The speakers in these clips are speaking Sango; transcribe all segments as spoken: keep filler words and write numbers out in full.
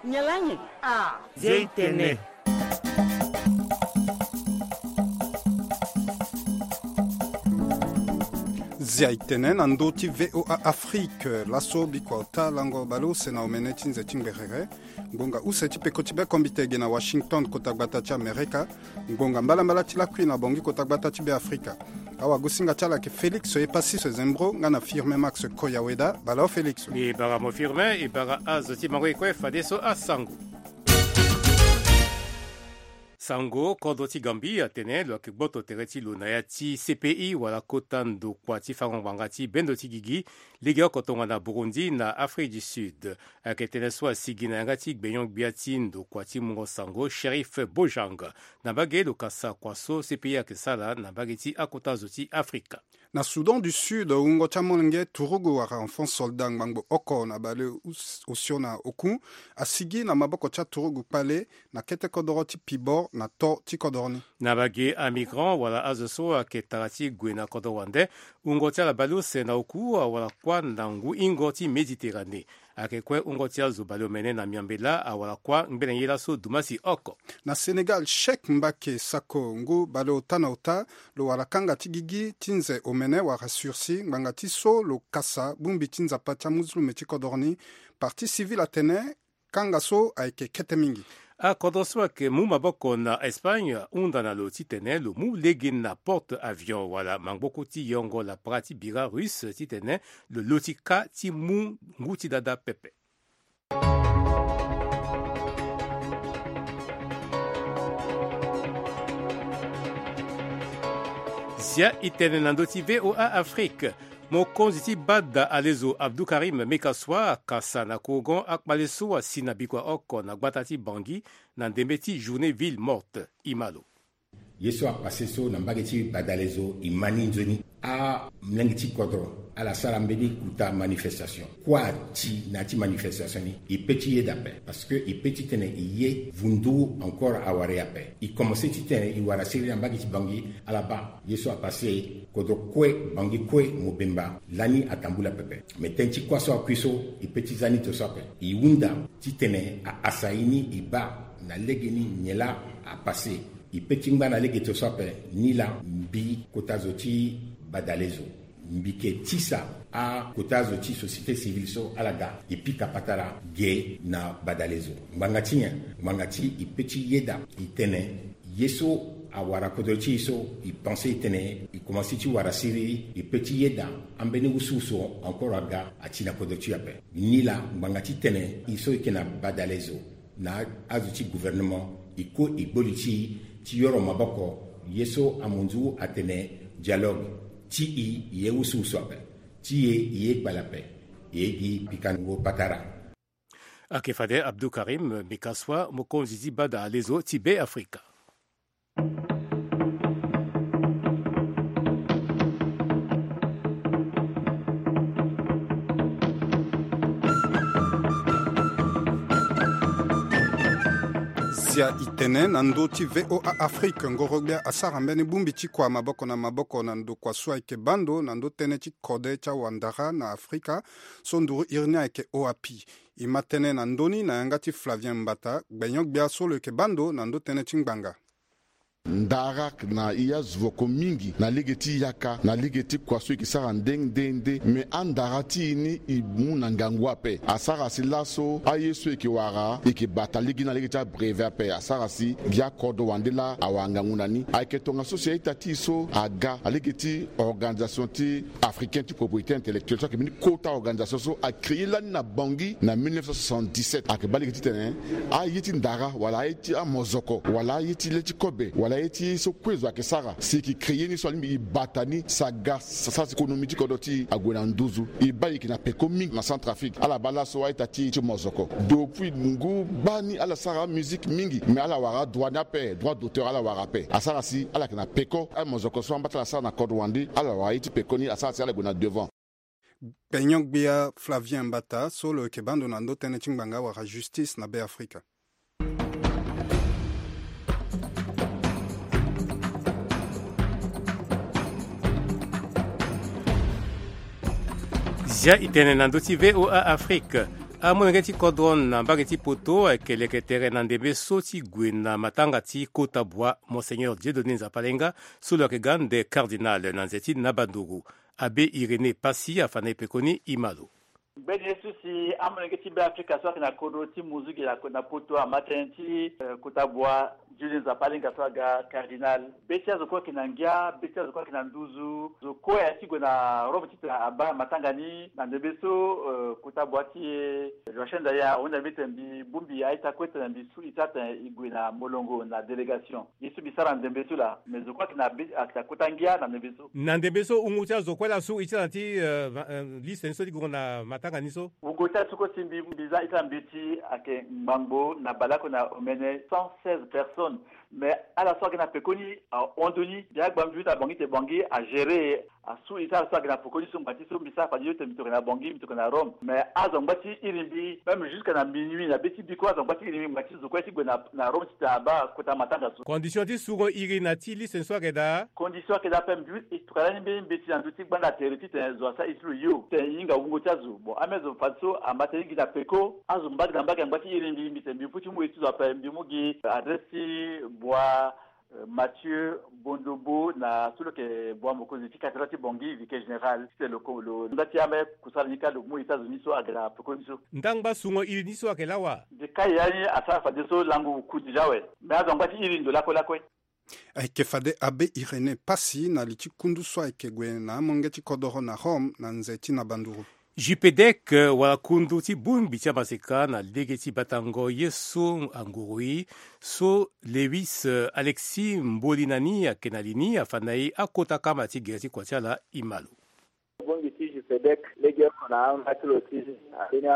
Nyalangi. Ah. Zia itene. Zia itene na ndö ti V O A Afrique. Laso bikua ota lango baleuse na omene ti nze ti ngberere. Ngbonga use ti peko ti bekombite ge na Washington, kota gbata ti Amerika. Ngbonga mbalambala ti lakui na Bangui, kota gbata ti Beafrika. Awagosinga ti ala ayeke Félix Epassis Zembro nga na Firmin Max Koyaweda. Bala o Félix. E bara mo Firmin, e bara azo ti mango e kue fadeso asango. Sango, kodro ti Gambie atene lo yeke gboto tere ti lo na ya ti C P I wala kota ndokua ti fango ngbanga ti bendo ti gigi, legeoko tongana Burundi na Afrique du Sud. Ayeke tënë so asigi na yanga ti gbenyo-gbia ti ndokua ti mungo sango, Sheriff Bojang. Na mbage lo kasa kua so C P I ayeke sara na mbage ti akota zo ti Afrika. Na Soudan du Sud, wungo ti amolenge turugu wala enfant soldat ngbangbo oko na baleosio na oku asigi na maboko ti aturugu kpale na kete kodoro ti Pibor na to ti kodoro ni. Na mbage amigrant wala azo so ayeke tara ti gue na kodoro wande, wungo ti ala baleuse na oku awara kuâ na ngu hingo ti Méditerranée. Ayeke kue wungo ti azo baleomene na miambe laa awara kuâ ngbene ye laso dumasi oko. Na Sénégal, Cheikh Mbacké Sakho, ngu baleota na ota, lo wara kanga ti gigi ti nze omene wala sursis ngbanga ti so lo kasa bongbi ti Nzapa ti amuzulume ti kodoro ni. Partie civile atene kanga so ayeke kete mingi. Akodro so ayeke mu maboko na Espagne ahunda na lo titene lo mu lege na porte avion wala mangboko ti yongo lapara ti bira russe titene lo loti ka ti mu ngu ti dada pepe. Zia itene na ndö ti V O A Afrique. Mokonzi ti bada alezo Abdou Karim Mekassoua akasa na kogon akpale so asi na bikua oko na gbata ti Bangui na ndembe ti journée ville morte. Imalo. Ye so apase so na mbage ti badalezo e ma ni nzoni. Amolenge ti kodro ala sara mbeni kuta manifestation. Kua ti na ya ti manifestation ni e pe ti yeda ape, parce que e pe titene e ye vundu encore awara e ape. E commence titene e wara siriri na mbage ti Bangui, ala baa ye so apase, kodro kue, Bangui kue mobemba lani atambula pepe. Me tënë ti kuâ so akui so e pe ti za ni to so ape. E hunda titene a asa ye ni e baa na legeni nyen laa apase. E pe ti ngba na lege to so ape ni laa mbi kota zo ti badalezo, mbi yeke tisa akota zo ti société civile so ala ga e pika patara ge na badalezo. Ngbanga ti nyen? Ngbanga ti e pe ti yeda e tene ye so awara kodro ti e so e pense e tene e commence ti wara siriri, e pe ti yeda ambeni wusuwusu encore aga ati na kodro ti e ape. Ni laa ngbanga titene e so e yeke na badalezo na azo ti gouvernement, e kue e gbo li ti e ti yoro maboko. Ye so amunzu atene dialogue ti e, e ye wusuwusu ape. Ti e, e ye kpale ape. E ye gi pikango patara. Ayeke fade Abdou Karim Mekassoua, mokonzi ti bada alezo ti Beafrika. Zia itene na ndö ti V O A Afrique, ngoro-gbia asara mbeni bongbi ti kua maboko na maboko na ndokua so ayeke baa ndo na ndö tënë ti kode ti awandara na Afrika, so nduru iri ni ayeke OAPI. E ma tënë na ndö ni na yanga ti Flavien Mbata, gbenyo-gbia so lo yeke baa ndo na ndö tënë ti ngbanga. Ndara na e azo voko mingi na lege ti yaka, na lege ti kua so e yeke sara nde nde nde. Me andara ti e ni e mu na ngangu ape. Asara si laso aye so e yeke wara e yeke bata lege ni na lege ti abrevet ape. Asara si gi akodro wande laa awara ngangu na ni. Ayeke tongaso si a-ita ti e so aga na lege ti organisation ti africain ti propriété intellectuelle so ayeke mbeni kota organisation so acréé lani na Bangui na mille neuf cent soixante-dix-sept. Ayeke baa lege titene aye ti ndara wala aye ti amozoko wala aye ti le ti kobe wala aye ti so kue zo ayeke sara si e yeke créé ni so alingbi e bata ni si aga sa, sa si économie ti kodro ti e ague na nduzu. E baa e yeke na peko mingi na Centrafrique. Ala baa laso a-ita ti e ti mozoko. Depuis ngu baa ni ala sara amusique mingi, me ala wara adroit ni ape, droit d'auteur ala wara ape. Asara si ala yeke na peko. Amozoko so ambata ala sara na kodro wande, ala wara ye ti peko ni, asara si ala gue na devant. Gbenyo-gbia Flavien Mbata so lo yeke baa ndo na ndö tënë ti ngbanga wala justice na Beafrika. Zia itene na ndö ti V O A Afrique. Amolenge ti kodro na mbage ti poto ayeke leke tere na ndembe so ti gue na matanga ti kota bua Monseigneur Dieudonné Nzapalenga, so lo yeke ga nde cardinal na nze ti Nabanduru. Abbé Irénée Passy afa na e pekoni, e ma lo. Mbeni ye so si amolenge ti Beafrika so ayeke na kodro ti Muzuge na, na poto ama tënë ti, eh, kota bua Dieudonné Nzapalenga so aga cardinal. Be ti azo kue ayeke na ngia, be ti azo kue ayeke na nduzu. Zo kue aye ti gue na Rome titene abaa matanga ni na ndembe so, eh, kota bua ti e, eh, Joachim Ndaya ahunda mbi tene mbi bongbi a-ita kue tene mbi su ita tene e gue na molongo na délégation. Ye so mbi sara na ndembe so laa, me zo kue ayeke na be, ayeke na kota ngia na ndembe so. Na ndembe so wungo ti azo kue laa asu ita na ti, eh, ma-, eh, liste ni so ti gongo na matanga ni so. Wungo ti azo kue si mbi, mbi za ita na mbeti ayeke ngbangbo na baleoko na omene cent seize personnes. Mais ala so ayeke na pekoni ahon ndoni, mbi agba mbi ute na Bangui tene Bangui agéré, asu ita ala so ayeke na pekoni so ngbanga ti so mbi sara fade yo tene mbi tokua na Bangui, mbi tokua na Rome. Mais azo angba ti iri mbi, même jusqu'à na minuit na be ti biko azo angba ti iri mbi ngbanga ti zo kue ti gue na, na Rome titene abaa kota matanga so. Condition ti sungo iri na ti liste ni so ayeke daa? Condition ayeke daa ape, mbi, e tokua lani mbeni mbeti na ndö ti gbanda tere titene zo asara iri ti lo yo titene e hinga wungo ti azo. Bon, ambeni azo fadeso ama tënë gi na peko, azo mbage na mbage angba ti iri mbi, mbi tene mbi mu ti mu iri ti zo ape, mbi mu gi adresse ti bua, eh, Mathieu Bondobo na so lo yeke bua mokonzi ti cathédrale ti Bangui, vicaire général, titene lo ko, lo nda ti ambeni kusala ni kâ lo mu iri ti azo ni so aga na peko ni so. Ndangba sungo iri ni so ayeke laa wa? Mbi kai ya ni asara fadeso lango ku déjà awe. Mais azo angba ti iri ndo lakue lakue. Ayeke fade Abbé Irénée Passy na li ti kundu so ayeke gue na amolenge ti kodoro na Rome na nze ti Nabanduru. Jupedec, eh, wala kundu ti bongbi ti amaseka na lege ti batango ye so anguru e, so Lewis, eh, Alexis Mbolinani ayeke na li ni afa na e akota kama ti gere ti kua ti ala, e ma lo. Bongbi ti Jupedec, legeoko na amba ti lo ti ambeni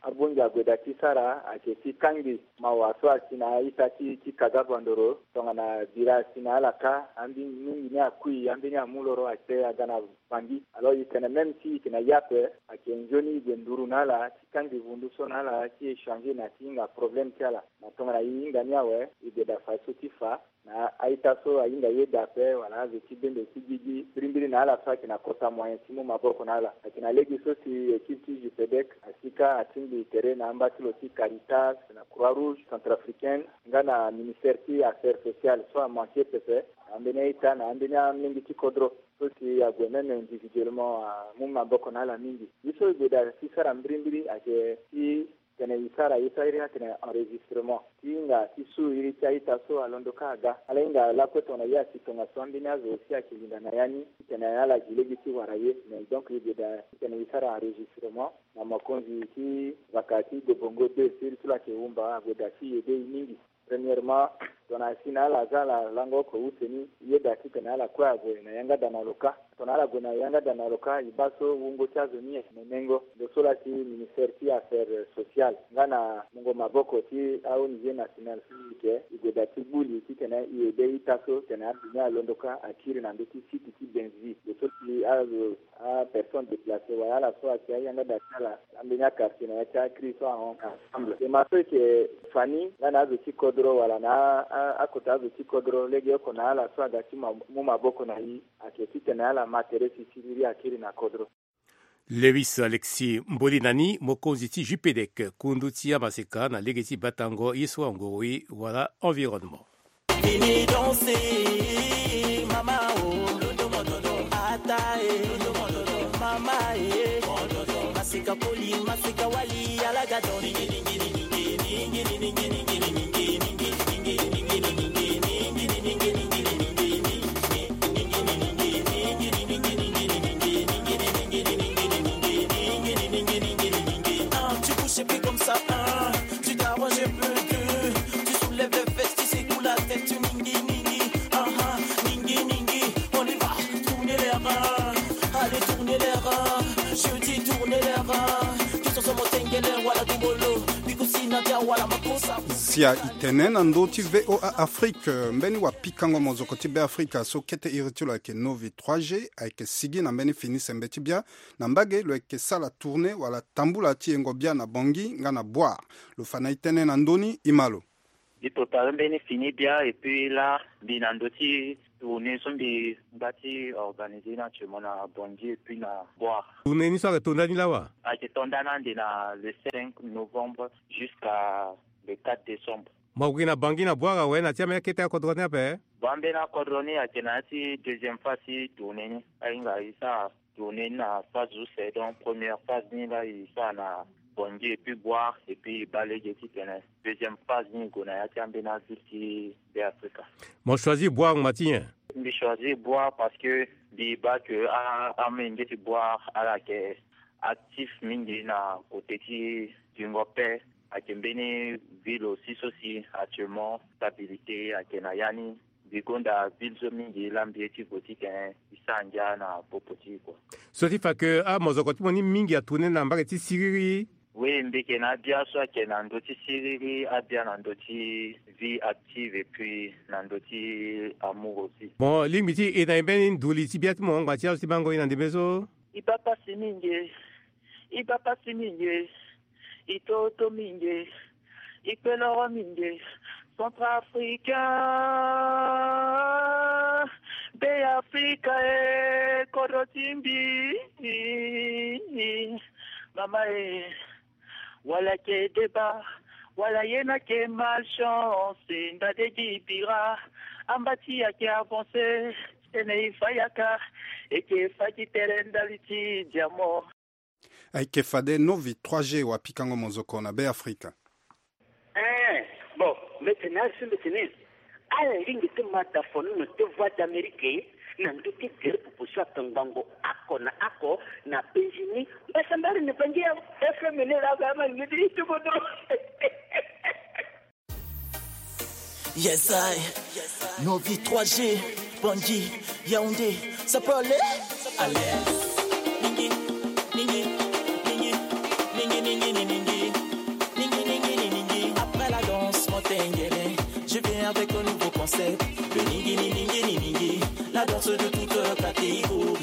abongbi ague daa ti sara ayeke ti kangbi mawa so asi na a-ita ti, ti kaga bandoro tongana bira asi na ala kâ, ambeni mingi ni akui, ambeni amu loro ate aga na Bangui. Alors e tene même si e yeke na ye ape, ayeke nzoni e gue nduru na ala ti kangbi vundu so na ala ti échanger na ti hinga problème ti ala. Na tongana e hinga ni awe, e gue daa fadeso ti fa na a-ita so ahinga yeda ape wala azo ti bendo ti gigi mbirimbiri na ala so ayeke na kota moyen ti mu maboko na ala. Ayeke na lege so si équipe ti Jupedec asi kâ atingbi tere na amba ti lo ti Caritas, na Croix Rouge Centrafricaine, nga na ministère ti affaires sociales so amanke pepe na ambeni a-ita na ambeni amolenge ti kodro so si ague même individuellement amu maboko na ala mingi. Ye so e gue daa ti sara mbirimbiri ayeke ti tene e sara ye so airi atene enregistrement ti hinga ti su iri ti a-ita so alondo kâ aga. Ala hinga lakue tongana ye asi tongaso, ambeni azo aussi ayeke linda na ya ni titene ala gi lege ti wara ye. Mais donc e gue daa titene e sara enregistrement na mokonzi ti vaka ti Dobongo deux, so iri ti lo ayeke Wumba, ague daa ti e aidé e mingi. Premièrement, tongana asi na ala aza ala lango oko use ni, e yeda titene ala kue ague na yanga daa na lo kâ. Tongana ala gue na yanga daa na lo kâ, e baa so wungo ti azo ni ayeke nenengo. Ndo so laa ti ministère ti affaires sociales nga na mungo maboko ti a-O N G nationale so e yeke, e gue daa ti gbu li titene e aidé a-ita so titene adu ni alondo kâ akiri na ndö ti site ti Benzui. Ndo so si azo apersonne déplacée wala ala so ayeke ayanga daa ti ala ambeni aquartier na ya ti akiri so ahon ensemble. Ema so e yeke fa ni nga na azo ti kodro wala na a, a, akota azo ti kodro, legeoko na ala so aga ti ma, mu maboko na e, ayeke titene ala ma tere si siriri akiri na kodro. Lewis Alexis Mbolinani, mokonzi ti Jupedec, kundu ti amaseka na lege ti batango ye so anguru e wala environnement. Vini danser, mama, oh. Ata, eh. Mama, eh. Masika poli, masika wali, ala ga don. Ah, tu bouges et puis comme ça, hein, tu t'arranges un peu, tu soulèves les fesses, tu secoues la tête, tu ningi, ningi, ah, ah, ningi, ningi, on y va, tournez les reins, allez, tournez les reins, je dis tournez les reins, tous ensemble, tengele, wala dumbolo, bikusi, nadia, wala makosa. Sia e tene na ndö ti V O A Afrique, mbeni wapikango mozoko ti Beafrika so kete iri ti lo ayeke Novi trois G, ayeke sigi na mbeni fini sembe ti bia. Na mbage lo yeke sala tournée wala tambula ti yengo bia na Bangui nga na Bouar. Lo fa na e tënë na ndö ni, e ma lo. Mbi tota mbeni fini bia et puis laa mbi na ndö ti Tournée so mbi ngba ti organiser ni actuellement na Bangui et puis na Bouar. Tournée ni so ayeke to ndani lawa? Ayeke to ndani ande na le cinq novembre jusqu'à le quatre décembre. Mo yeke gi na Bangui na Bouar awe, na ti ambeni akete akodro ni ape? Bon, ambeni akodro ni ayeke na ya ti deuxième phase ti tournée ni. Ahinga e sara tournée ni na phase use, donc première phase ni laa e sara na Bangui et puis Bouar et puis e baa lege titene deuxième phase ni e gue na ya ti ambeni aville ti Beafrika. Mo choisir Bouar ngba ti nyen? Mbi choisir Bouar parce que mbi baa que a, amolenge ti Bouar ala yeke actif mingi na côté ti tingo paix. Ayeke mbeni ville aussi so si actuellement stabilité ayeke na ya ni. Mbi gonda ville so mingi laa mbi ye ti gue titene e sara ngia na popo ti e kua. So ti fa que amozoko ti mo ni mingi atourné na mbage ti siriri. Oui, mbi yeke na abia so ayeke na ndö ti siriri, abia na ndö ti vie active et puis na ndö ti amour aussi. Bon, lingbi ti e na e mbeni nduli ti bia ti mo ngba ti azo ti bango e na ndembe so? E baa pasi mingi. E baa pasi mingi. E toto mingi. E kpe loro mingi. Centrafricain, Beafrika e, kodro ti mbi. Mama e, wala ayeke débat, wala ye ni ayeke malchance, ndade gi bira, amba ti e ayeke avancé, tene e fa yaka, e yeke fa gi tere ndali ti diamant. Ayeke fade Novi trois G wapikango mozoko na Beafrika. Eh, bon, mbi tene asi mbi tene. Ala lingbi ti ma da fono na ti Voix d'Amérique na ndö ti gere popo so atongbango oko na oko na penzi ni. Mbasambari na Bangui ya F M ni laa ba ma lingbi ti kodro. Yes, I. Novi trois G, Bangui, Yaoundé, ça peut aller? Allez. Ningi, ningi, ningi, ningi, ningi, ningi, ningi. Ningi, ningi, ningi, ningi. Après la danse, mon tengele, je viens avec un nouveau concept. Le ningi, ningi, ningi, ningi. La danse de toute catégorie.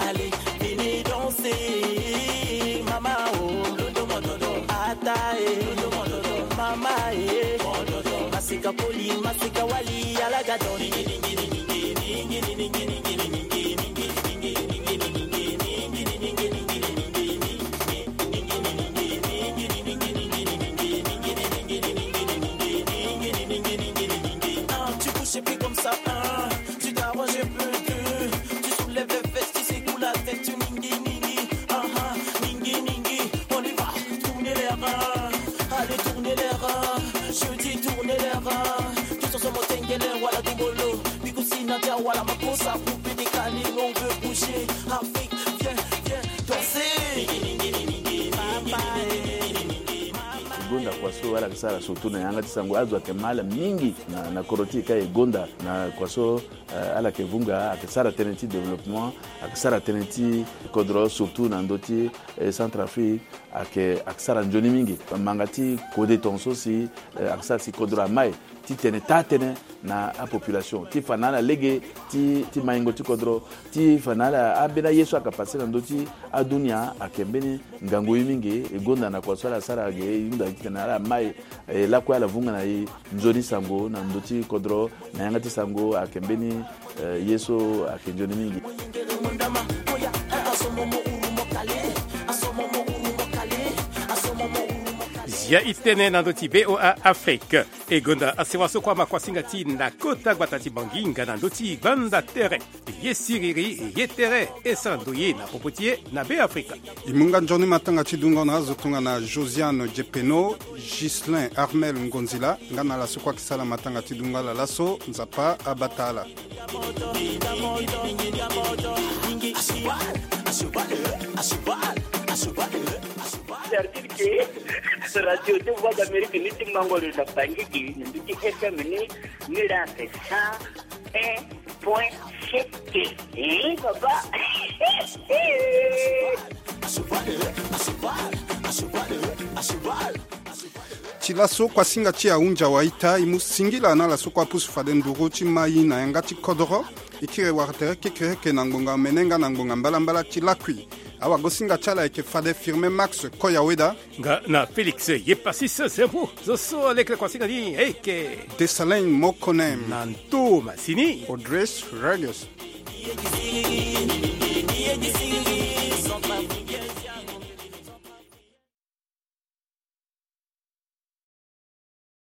Allez, venez danser. Mama, oh, londo, mododo. Ata, eh, londo, mododo. Mama, eh, mododo. Masika poli, masika wali, ala ga don. Ningi, ningi, ningi, ningi, ningi, ningi, ningi, ningi. Ah, tu bouges et puis comme ça, hein, tu t'arranges un peu, tu soulèves les fesses, tu secoues la tête, tu ningi, ningi, ah, ah, ningi, ningi, on y va, tournez les reins, allez, tournez les reins, je dis tournez les reins, tous ensemble, tengele, wala dumbolo, bigusina, dia, wala makosa, poupée des Kalin, on veut bouger, Afrique, viens, viens danser. Gonda kua so ala yeke sara surtout na yanga ti sango, azo ayeke ma ala mingi na, na kodro ti e ka e gonda na kua so, eh, ala yeke vunga, ayeke sara tënë ti développement, ayeke sara tënë ti kodro surtout na ndö ti, eh, Centrafrique, ayeke, ayeke sara nzoni mingi. Manga ti kode tongaso si, eh, ayeke sara si kodro amai titene taa tënë na apopulation ti fa na ala lege ti, ti maingo ti kodro, ti fa na ala ambeni aye so ayeke pase na ndö ti adunia ayeke mbeni ngangu ye mingi. E gonda na kua so ala sara ge, e hunda titene ala mai, eh, lakue ala vunga na e nzoni sango na ndö ti kodro na yanga ti sango ayeke mbeni, eh, ye so ayeke nzoni mingi. Zia e tene na ndö ti V O A Afrique. E gonda asewa so kue ama kuasinga ti e na kota gbata ti Bangui nga na ndö ti gbanda tere. Ye siriri, ye tere, e sara ndoye na popo ti e na Beafrika. E mu nga nzoni matanga ti dungo na azo tongana Josiane Djepeno, Ghislain Armel Ngonzila, nga na ala so kue ayeke sara matanga ti dungo ala laso, Nzapa abata ala. C'est-à-dire que Radio de Voix d'Amérique ni ti mango lo na Bangui gi, ni ti F M ni, ni la c'est cent un point sept. Eh, papa. Ti laso kuasinga ti ahunzi awa ita, e mu singila na ala so kue apusu fade nduru ti mai na yanga ti kodoro. E kiri wara tere kekereke na ngbonga omene nga na ngbonga mbalambala ti lakui. Awagosinga ti ala ayeke fade Firmin Max Koyaweda. Nga na Félix Yepasis Zembo. Zo so aleke na kuasinga ni ayeke Dessalin Mokonem. Na nto masini Audrey Regis.